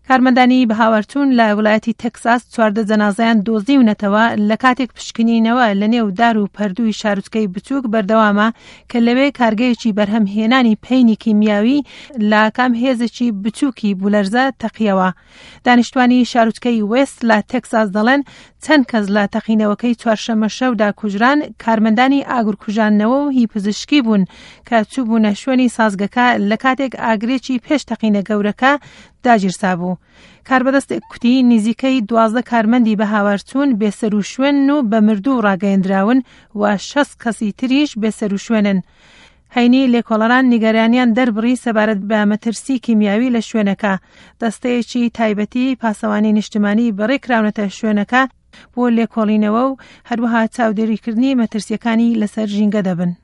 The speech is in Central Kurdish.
کارمەندانی بەهاوارچوون لە ویلایەتی تەکساس 14 جەنازەیان دۆزیونەتەوە لە کاتێک پشکنینەوە لە نێو دار و پەردووی شارۆچکەی بچووک بەردەوامە کە لەوێ کارگەیەکی بەرهەمهێنانی پەینی کیمیاوی لە کام هێزێکی بچووکی بولەرزە تەقیەوە. دانیشتوانی شارۆچکەی وێست لە تەکساس دەڵێن چەند کەس لە تەقینەوەکەی چوارشەممە شەودا کوژران کارمەندانی ئاگرکوژاندنەوە و هی پزیشکی بوون کە چووبوونە شوێنی سازگەکە لە کاتێک ئاگرێکی پێش تەقینە گەورەکە داگیرسابوو. کاربەدەستێک کوتی نزیکەی 12 کارمەندی بەهاوارچوون بێسەروشوێنن و بە مردوو ڕاگەیەندراون و 60 کەسی تریش بێسەروشوێنن. هەینی لێکۆڵەران نیگەرانیان دەربڕی سەبارەت بە مەترسی کیمیاوی لە شوێنەکە. دەستەیەکی تایبەتی پاسەوانی نیشتمانی بەڕێکراونەتە شوێنەکە بۆ لێکۆڵینەوە و هەروەها چاودێریکردنی مەترسیەکانی لەسەر ژینگە دەبن.